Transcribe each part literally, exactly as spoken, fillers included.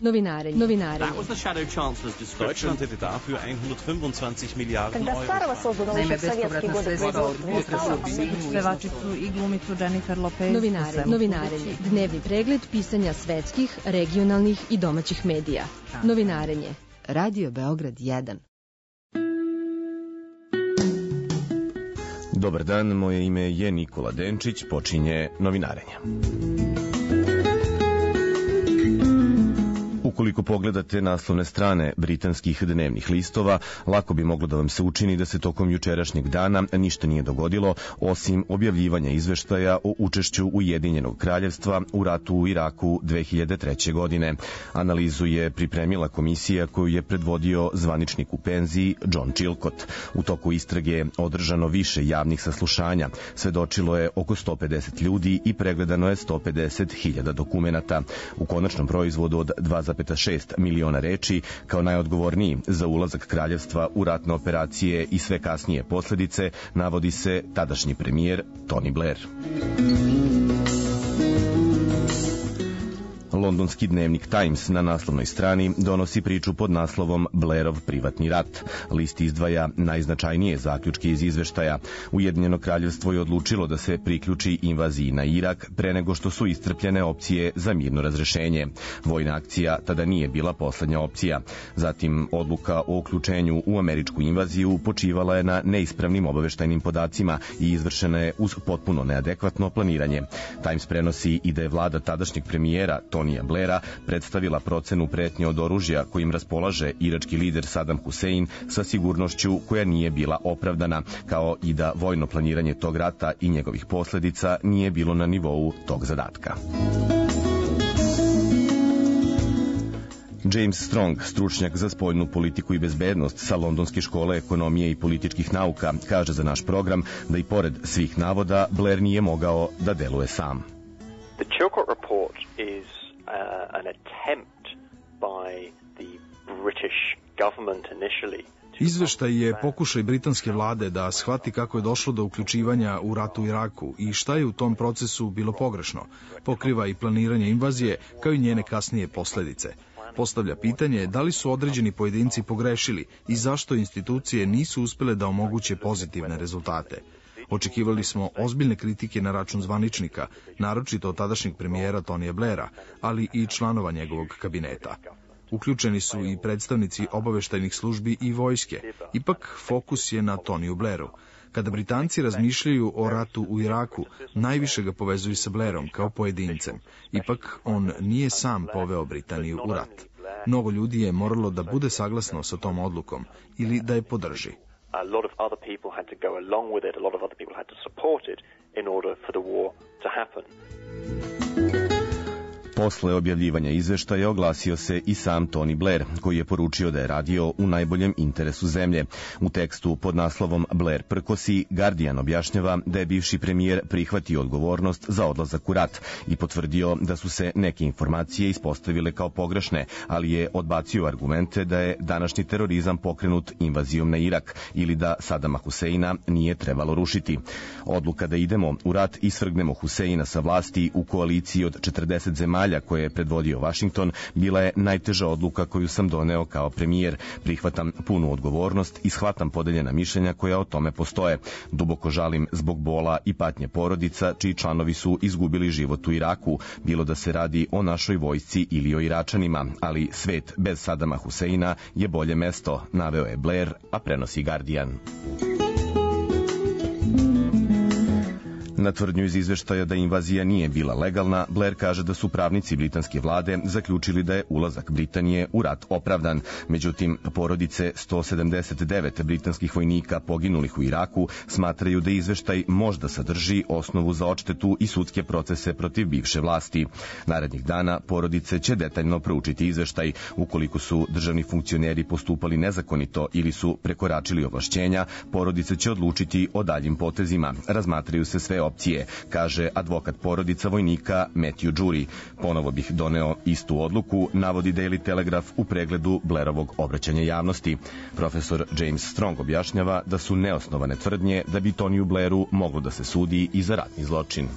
Novinarenje. Novinarenje. Deutschland hätte dafür hundertfünfundzwanzig Milliarden Euro. Naime, bespovratna sredstva od pevačicu i glumicu Jennifer Lopez. Novinarenje. Novinarenje. Dnevni pregled pisanja svetskih, regionalnih i domaćih medija. Novinarenje. Radio Beograd jedan. Dobar dan, moje ime je Nikola Denčić, počinje Novinarenje. Ukoliko pogledate naslovne strane britanskih dnevnih listova, lako bi moglo da vam se učini da se tokom jučerašnjeg dana ništa nije dogodilo, osim objavljivanja izveštaja o učešću Ujedinjenog kraljevstva u ratu u Iraku dve hiljade treće. godine. Analizu je pripremila komisija koju je predvodio zvaničnik u penziji John Chilcott. U toku istrage je održano više javnih saslušanja, svedočilo je oko sto pedeset ljudi i pregledano je sto pedeset hiljada dokumenata. U konačnom proizvodu od dva zarez šest miliona reči, kao najodgovorniji za ulazak kraljevstva u ratne operacije i sve kasnije posledice, navodi se tadašnji premijer Tony Blair. Londonski dnevnik Times na naslovnoj strani donosi priču pod naslovom Blairov privatni rat. List izdvaja najznačajnije zaključke iz izveštaja. Ujedinjeno kraljevstvo je odlučilo da se priključi invaziji na Irak pre nego što su iscrpljene opcije za mirno razrešenje. Vojna akcija tada nije bila poslednja opcija. Zatim, odluka o uključenju u američku invaziju počivala je na neispravnim obaveštajnim podacima i izvršena je uz potpuno neadekvatno planiranje. Times prenosi i da je vlada tadašnjeg premijera Tonija Blaira predstavila procenu pretnje od oružja kojim raspolaže irački lider Saddam Hussein sa sigurnošću koja nije bila opravdana, kao i da vojno planiranje tog rata i njegovih posledica nije bilo na nivou tog zadatka. James Strong, stručnjak za spoljnu politiku i bezbednost sa Londonske škole ekonomije i političkih nauka, kaže za naš program da i pored svih navoda Blair nije mogao da deluje sam. The Chilcot report is uh, an attempt by the British government initially. Izveštaj je pokušaj britanske vlade da shvati kako je došlo do uključivanja u ratu u Iraku i šta je u tom procesu bilo pogrešno. Pokriva i planiranje invazije, kao i njene kasnije posledice. Postavlja pitanje da li su određeni pojedinci pogrešili i zašto institucije nisu uspele da omoguće pozitivne rezultate. Očekivali smo ozbiljne kritike na račun zvaničnika, naročito od tadašnjeg premijera Tonija Blaira, ali i članova njegovog kabineta. Uključeni su i predstavnici obaveštajnih službi i vojske. Ipak fokus je na Toniju Blairu. Kada Britanci razmišljaju o ratu u Iraku, najviše ga povezuju sa Blairom kao pojedincem. Ipak on nije sam poveo Britaniju u rat. Mnogo ljudi je moralo da bude saglasno sa tom odlukom ili da je podrži. A lot of other people had to go along with it, a lot of other people had to support it in order for the war to happen. Posle objavljivanja izveštaja oglasio se i sam Tony Blair, koji je poručio da je radio u najboljem interesu zemlje. U tekstu pod naslovom Blair prkosi, Guardian objašnjava da je bivši premijer prihvatio odgovornost za odlazak u rat i potvrdio da su se neke informacije ispostavile kao pogrešne, ali je odbacio argumente da je današnji terorizam pokrenut invazijom na Irak ili da Sadama Huseina nije trebalo rušiti. Odluka da idemo u rat i svrgnemo Huseina sa vlasti u koaliciji od četrdeset zemalja koje je predvodio Washington bila je najteža odluka koju sam doneo kao premijer. Prihvatam punu odgovornost i shvatam podeljena mišljenja koja o tome postoje. Duboko žalim zbog bola i patnje porodica čiji članovi su izgubili život u Iraku, bilo da se radi o našoj vojsci ili o Iračanima, ali svet bez Sadama Huseina je bolje mesto, naveo je Blair, a prenosi Guardian. Na tvrdnju iz izveštaja da invazija nije bila legalna, Blair kaže da su pravnici britanske vlade zaključili da je ulazak Britanije u rat opravdan. Međutim, porodice sto sedamdeset devet britanskih vojnika poginulih u Iraku smatraju da izveštaj možda sadrži osnovu za odštetu i sudske procese protiv bivše vlasti. Narednih dana porodice će detaljno proučiti izveštaj. Ukoliko su državni funkcioneri postupali nezakonito ili su prekoračili ovlašćenja, porodice će odlučiti o daljim potezima. Razmatraju se sve opcije, kaže advokat porodica vojnika Matthew Jury. Ponovo bih doneo istu odluku, navodi Daily Telegraph u pregledu Blairovog obraćanja javnosti. Profesor James Strong objašnjava da su neosnovane tvrdnje da bi Toniju Blairu moglo da se sudi i za ratni zločin.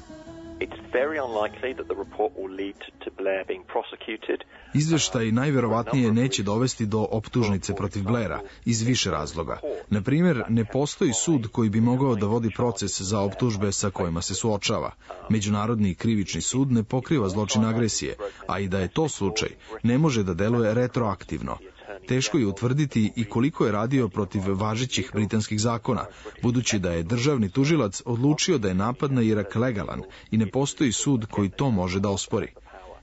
It's very unlikely that the report will lead to Blair being prosecuted. Izveštaj najverovatnije neće dovesti do optužnice protiv Blaira iz više razloga. Na primjer, ne postoji sud koji bi mogao da vodi proces za optužbe sa kojima se suočava. Međunarodni krivični sud ne pokriva zločin agresije, a i da je to slučaj, ne može da deluje retroaktivno. Teško je utvrditi i koliko je radio protiv važećih britanskih zakona, budući da je državni tužilac odlučio da je napad na Irak legalan i ne postoji sud koji to može da ospori.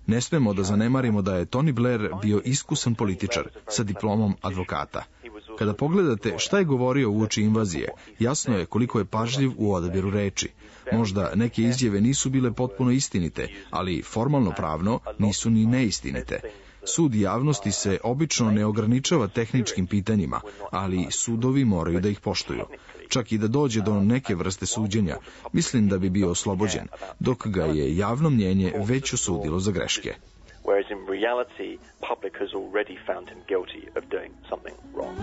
Ne smemo da zanemarimo da je Tony Blair bio iskusan političar sa diplomom advokata. Kada pogledate šta je govorio uoči invazije, jasno je koliko je pažljiv u odabiru reči. Možda neke izjave nisu bile potpuno istinite, ali formalno pravno nisu ni neistinite. Sud javnosti se obično ne ograničava tehničkim pitanjima, ali sudovi moraju da ih poštuju. Čak i da dođe do neke vrste suđenja, mislim da bi bio oslobođen, dok ga je javno mnjenje već osudilo za greške. Whereas in reality, public has already found him guilty of doing something wrong.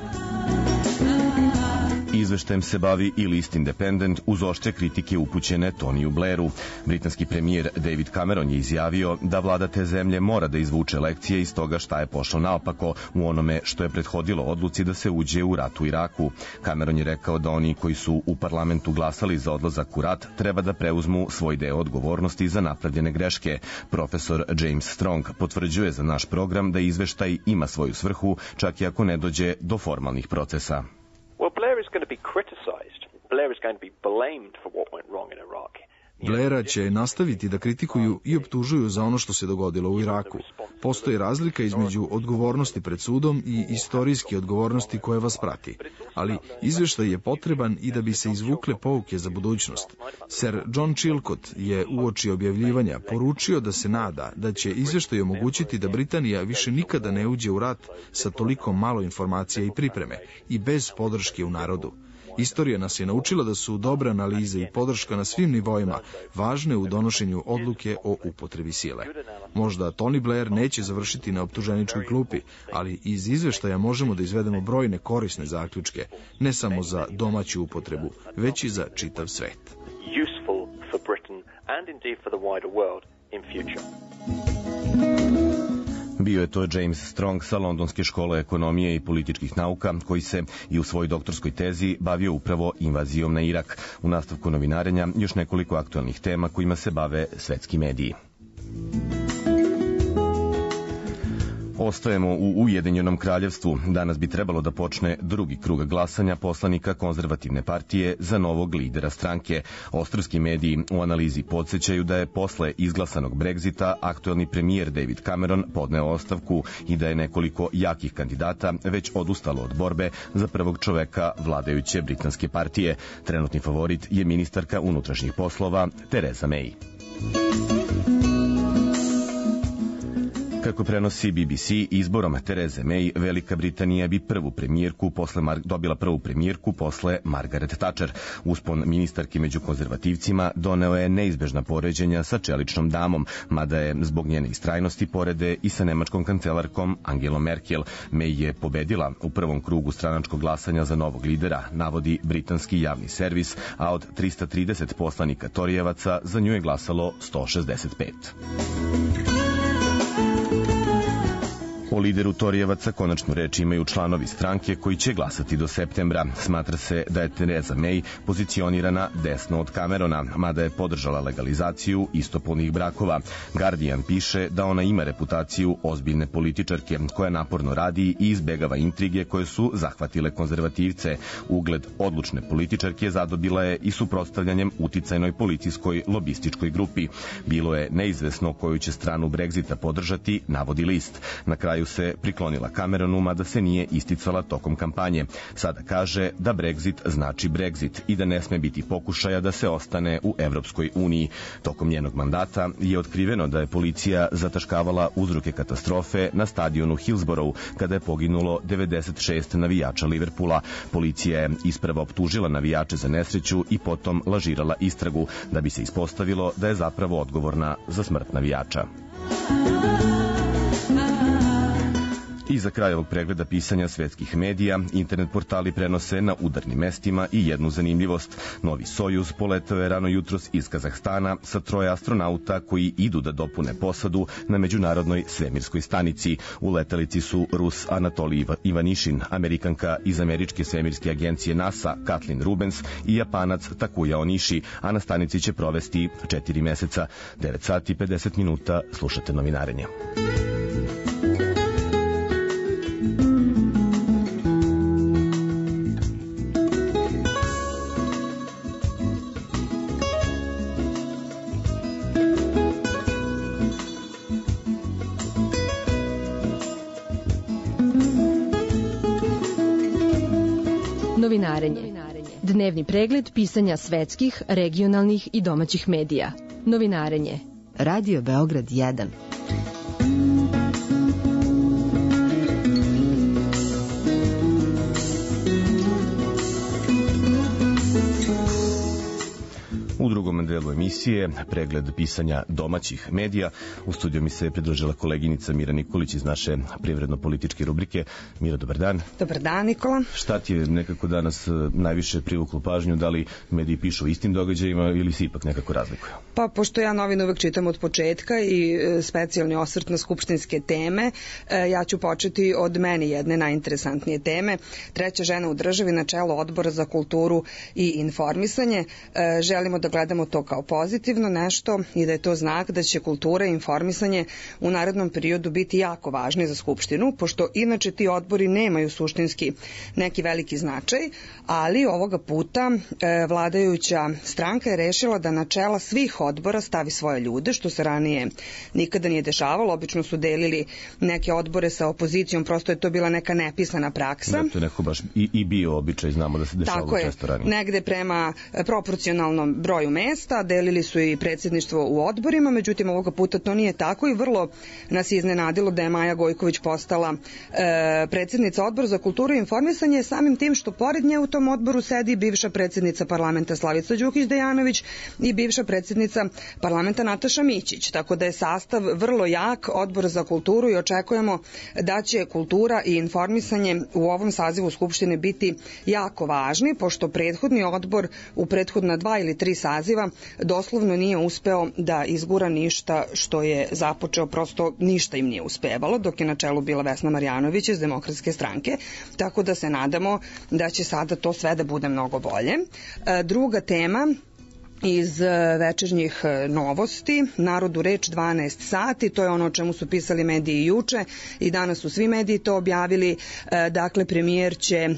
Izveštajem se bavi i list Independent uz oštre kritike upućene Toniju Blairu. Britanski premijer David Cameron je izjavio da vlada te zemlje mora da izvuče lekcije iz toga šta je pošlo naopako u onome što je prethodilo odluci da se uđe u rat u Iraku. Cameron je rekao da oni koji su u parlamentu glasali za odlazak u rat treba da preuzmu svoj deo odgovornosti za napravljene greške. Profesor James Strong potvrđuje za naš program da izveštaj ima svoju svrhu, čak i ako ne dođe do formalnih procesa. Well, Blair is going to be criticized. Blair is going to be blamed for what went wrong in Iraq. Blaira će nastaviti da kritikuju i optužuju za ono što se dogodilo u Iraku. Postoji razlika između odgovornosti pred sudom i istorijske odgovornosti koje vas prati. Ali izveštaj je potreban i da bi se izvukle pouke za budućnost. Sir John Chilcot je uoči objavljivanja poručio da se nada da će izveštaj omogućiti da Britanija više nikada ne uđe u rat sa toliko malo informacija i pripreme i bez podrške u narodu. Istorija nas je naučila da su dobre analize i podrška na svim nivoima važne u donošenju odluke o upotrebi sile. Možda Tony Blair neće završiti na optuženičkoj klupi, ali iz izveštaja možemo da izvedemo brojne korisne zaključke, ne samo za domaću upotrebu, već i za čitav svet. Useful for Britain and indeed for the wider world in future. Bio je to James Strong sa Londonske škole ekonomije i političkih nauka, koji se i u svojoj doktorskoj tezi bavio upravo invazijom na Irak. U nastavku novinarenja još nekoliko aktualnih tema kojima se bave svetski mediji. Ostajemo u Ujedinjenom kraljevstvu. Danas bi trebalo da počne drugi krug glasanja poslanika konzervativne partije za novog lidera stranke. Australski mediji u analizi podsjećaju da je posle izglasanog Brexita aktuelni premijer David Cameron podneo ostavku i da je nekoliko jakih kandidata već odustalo od borbe za prvog čoveka vladajuće britanske partije. Trenutni favorit je ministarka unutrašnjih poslova Theresa May. Kako prenosi B B C, izborom Therese May, Velika Britanija bi prvu premijerku posle Mar- dobila prvu premijerku posle Margaret Thatcher. Uspon ministarke među konzervativcima doneo je neizbežna poređenja sa čeličnom damom, mada je zbog njene istrajnosti porede i sa nemačkom kancelarkom Angelom Merkel. May je pobedila u prvom krugu stranačkog glasanja za novog lidera, navodi britanski javni servis, a od trista trideset poslanika Torijevaca za nju je glasalo sto šezdeset pet. O lideru Torijevaca konačnu reč imaju članovi stranke koji će glasati do septembra. Smatra se da je Theresa May pozicionirana desno od Camerona, mada je podržala legalizaciju istopolnih brakova. Guardian piše da ona ima reputaciju ozbiljne političarke koja naporno radi i izbegava intrige koje su zahvatile konzervativce. Ugled odlučne političarke zadobila je i suprotstavljanjem uticajnoj policijskoj lobističkoj grupi. Bilo je neizvesno koju će stranu Brexita podržati, navodi list. Na kraju se priklonila Cameronu, mada se nije isticala tokom kampanje. Sada kaže da Brexit znači Brexit i da ne sme biti pokušaja da se ostane u Evropskoj uniji. Tokom njenog mandata je otkriveno da je policija zataškavala uzroke katastrofe na stadionu Hillsborough, kada je poginulo devedeset šest navijača Liverpoola. Policija je isprava optužila navijače za nesreću i potom lažirala istragu, da bi se ispostavilo da je zapravo odgovorna za smrt navijača. I za kraj ovog pregleda pisanja svetskih medija, internet portali prenose na udarnim mestima i jednu zanimljivost. Novi Sojuz poletao je rano jutros iz Kazahstana sa troje astronauta koji idu da dopune posadu na međunarodnoj svemirskoj stanici. U letelici su Rus Anatolij Ivanišin, Amerikanka iz američke svemirske agencije NASA Kathleen Rubens i Japanac Takuya Onishi, a na stanici će provesti četiri meseca. devet sati i pedeset minuta, slušate Novinarenje. Novinarenje. Dnevni pregled pisanja svetskih, regionalnih i domaćih medija. Novinarenje. Radio Beograd jedan. U drugom delu emisije pregled pisanja domaćih medija. U studiju mi se pridružila koleginica Mira Nikolić iz naše privredno-političke rubrike. Mira, dobar dan. Dobar dan, Nikola. Šta ti je nekako danas najviše privuklo pažnju? Da li mediji pišu o istim događajima ili se ipak nekako razlikuju? Pa, pošto ja novine uvek čitam od početka i specijalni osvrt na skupštinske teme, ja ću početi od meni jedne najinteresantnije teme. Treća žena u državi na čelu Odbora za kulturu i informisanje. Želimo da gledamo to kao pozitivno nešto i da je to znak da će kultura i informisanje u narednom periodu biti jako važni za Skupštinu, pošto inače ti odbori nemaju suštinski neki veliki značaj, ali ovoga puta e, vladajuća stranka je rešila da na čela svih odbora stavi svoje ljude, što se ranije nikada nije dešavalo. Obično su delili neke odbore sa opozicijom, prosto je to bila neka nepisana praksa. Da, to je neko baš i, i bio običaj, znamo da se dešavalo često ranije. Tako je, negde prema proporcionalnom broju mesta, delili su i predsjedništvo u odborima, međutim ovoga puta to nije tako i vrlo nas je iznenadilo da je Maja Gojković postala e, predsjednica Odbora za kulturu i informisanje, samim tim što pored nje u tom odboru sedi bivša predsjednica parlamenta Slavica Đukić-Dejanović i bivša predsjednica parlamenta Nataša Mićić, tako da je sastav vrlo jak Odbora za kulturu i očekujemo da će kultura i informisanje u ovom sazivu Skupštine biti jako važni, pošto prethodni odbor u prethodna dva ili tri saziva doslovno nije uspeo da izgura ništa što je započeo, prosto ništa im nije uspevalo, dok je na čelu bila Vesna Marjanović iz Demokratske stranke, tako da se nadamo da će sada to sve da bude mnogo bolje. Druga tema iz večernjih novosti, Narodu reč dvanaest sati, to je ono o čemu su pisali mediji juče i danas su svi mediji to objavili. Dakle, premijer će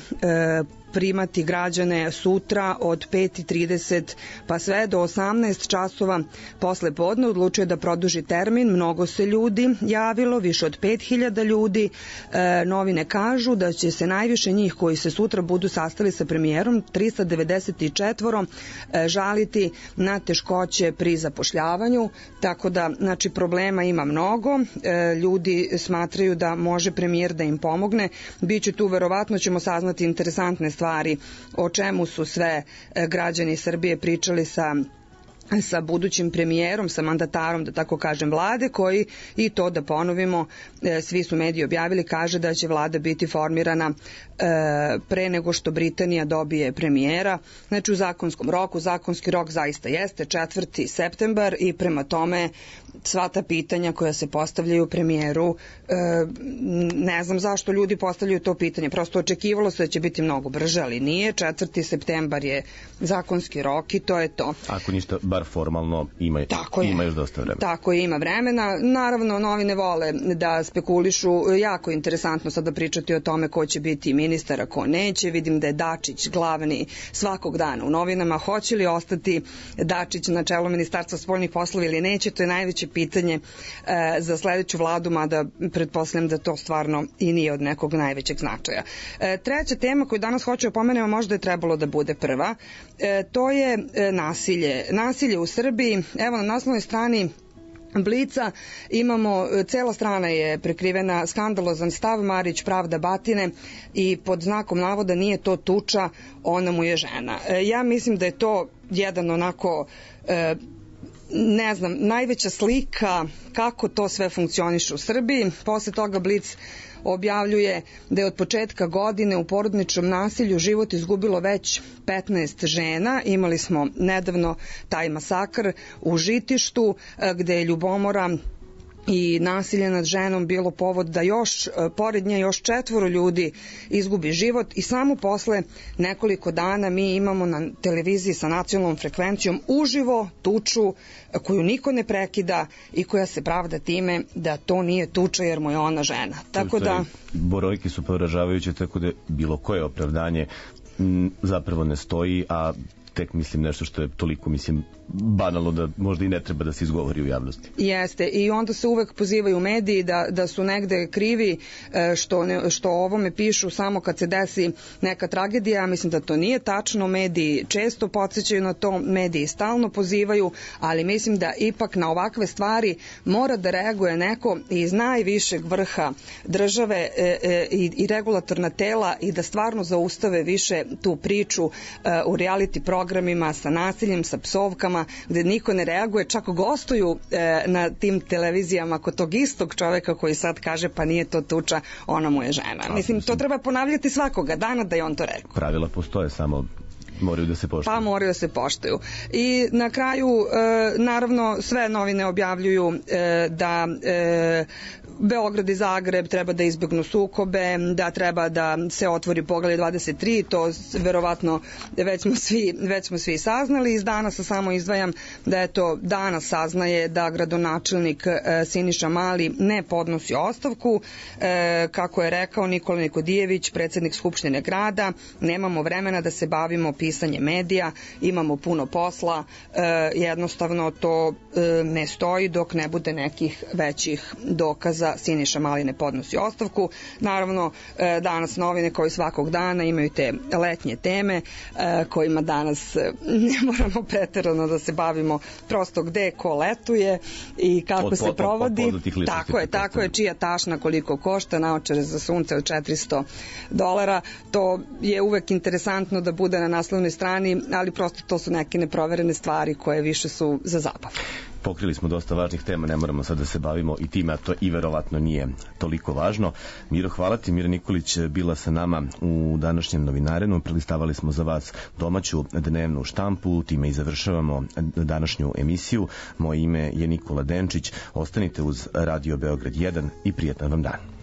primati građane sutra od pet i trideset pa sve do osamnaest časova posle podne. Odlučio da produži termin, mnogo se ljudi javilo, više od pet hiljada ljudi. E, novine kažu da će se najviše njih koji se sutra budu sastali sa premijerom, trista devedeset četiri, e, žaliti na teškoće pri zapošljavanju, tako da znači problema ima mnogo. E, ljudi smatraju da može premijer da im pomogne. Biće tu, verovatno ćemo saznati interesantne stvari o čemu su sve građani Srbije pričali sa sa budućim premijerom, sa mandatarom, da tako kažem, vlade, koji, i to da ponovimo, svi su mediji objavili, kaže da će vlada biti formirana pre nego što Britanija dobije premijera, znači u zakonskom roku. Zakonski rok zaista jeste četvrti septembar i prema tome sva ta pitanja koja se postavljaju premijeru, ne znam zašto ljudi postavljaju to pitanje, prosto očekivalo se da će biti mnogo brže, ali nije. četvrti septembar je zakonski rok i to je to. Ako ništa, bar formalno ima, ima još dosta vremena. Tako je, ima vremena. Naravno, novine vole da spekulišu, jako interesantno sada pričati o tome ko će biti ministar, a ko neće. Vidim da je Dačić glavni svakog dana u novinama. Hoće li ostati Dačić na čelu Ministarstva spoljnih poslova ili neće, to je najveće pitanje e, za sledeću vladu, mada pretpostavljam da to stvarno i nije od nekog najvećeg značaja. E, treća tema koju danas hoću da pomenemo, možda je trebalo da bude prva, e, to je e, nasilje. Nasilje u Srbiji. Evo na naslovnoj strani Blica imamo, cela strana je prekrivena, skandalozan stav Marić pravda batine i pod znakom navoda nije to tuča, ona mu je žena. Ja mislim da je to jedan onako e, ne znam, najveća slika kako to sve funkcioniše u Srbiji. Posle toga Blic objavljuje da je od početka godine u porodničnom nasilju život izgubilo već petnaest žena. Imali smo nedavno taj masakr u Žitištu gde je ljubomora i nasilje nad ženom bilo povod da još, pored nje, još četvoro ljudi izgubi život i samo posle nekoliko dana mi imamo na televiziji sa nacionalnom frekvencijom uživo tuču koju niko ne prekida i koja se pravda time da to nije tuča jer mu je ona žena. Tako da... Brojke su poražavajuće, tako da bilo koje opravdanje m, zapravo ne stoji, a tek mislim nešto što je toliko, mislim, banalno da možda i ne treba da se izgovori u javnosti. Jeste, i onda se uvek pozivaju mediji da, da su negde krivi što, ne, što o ovome pišu samo kad se desi neka tragedija. Mislim da to nije tačno, mediji često podsjećaju na to, mediji stalno pozivaju, ali mislim da ipak na ovakve stvari mora da reaguje neko iz najvišeg vrha države e, e, i, i regulatorna tela i da stvarno zaustave više tu priču e, u reality programima sa nasiljem, sa psovkama, gde niko ne reaguje, čak gostuju e, na tim televizijama kod tog istog čoveka koji sad kaže pa nije to tuča, ona mu je žena. A, mislim, to treba ponavljati svakoga dana da je on to rekao. Pravila postoje, samo moraju da se poštuju. Pa moraju da se poštuju. I na kraju, e, naravno, sve novine objavljuju e, da e, Beograd i Zagreb treba da izbjegnu sukobe, da treba da se otvori poglavlje dvadeset tri, to verovatno već smo svi, već smo svi saznali. Iz Danasa samo izdvajam da je to danas saznaje da gradonačelnik e, Siniša Mali ne podnosi ostavku. E, kako je rekao Nikola Nikodijević, predsednik Skupštine grada, nemamo vremena da se bavimo pisanje medija, imamo puno posla, e, jednostavno to e, ne stoji dok ne bude nekih većih dokaza. Siniša Mali ne podnosi ostavku. Naravno, e, danas novine koji svakog dana imaju te letnje teme e, kojima danas ne moramo preterano da se bavimo, prosto gde ko letuje i kako od, se provodi. Od, od tako je, tako je, čija tašna koliko košta, naočare za sunce od četiristo dolara. To je uvek interesantno da bude na naslovnoj strani, ali prosto to su neke neproverene stvari koje više su za zabavu. Pokrili smo dosta važnih tema, ne moramo sad da se bavimo i time, a to i verovatno nije toliko važno. Miro, hvala ti. Mira Nikolić bila sa nama u današnjem Novinarenu. Prelistavali smo za vas domaću dnevnu štampu, time i završavamo današnju emisiju. Moje ime je Nikola Denčić. Ostanite uz Radio Beograd jedan i prijetan vam dan.